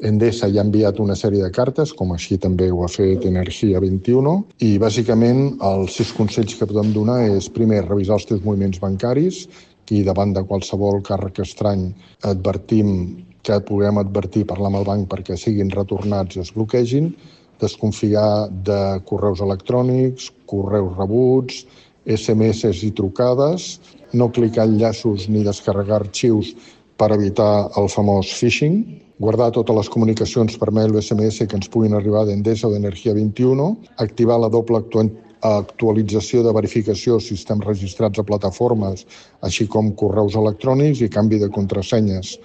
Endesa ja ha enviat una sèrie de cartes, com així també ho ha fet Energia 21, i bàsicament els 6 consells que podem donar és, primer, revisar els teus moviments bancaris, i davant de qualsevol càrrec estrany advertim que puguem advertir, parlar amb el banc perquè siguin retornats i es bloquegin, desconfiar de correus electrònics, correus rebuts, SMS i trucades, no clicar enllaços ni descarregar arxius per evitar el famós phishing, guardar totes les comunicacions per mail o SMS que ens puguin arribar d'Endesa o d'Energia 21, activar la doble actualització de verificació si estem registrats a plataformes, així com correus electrònics i canvi de contrasenyes.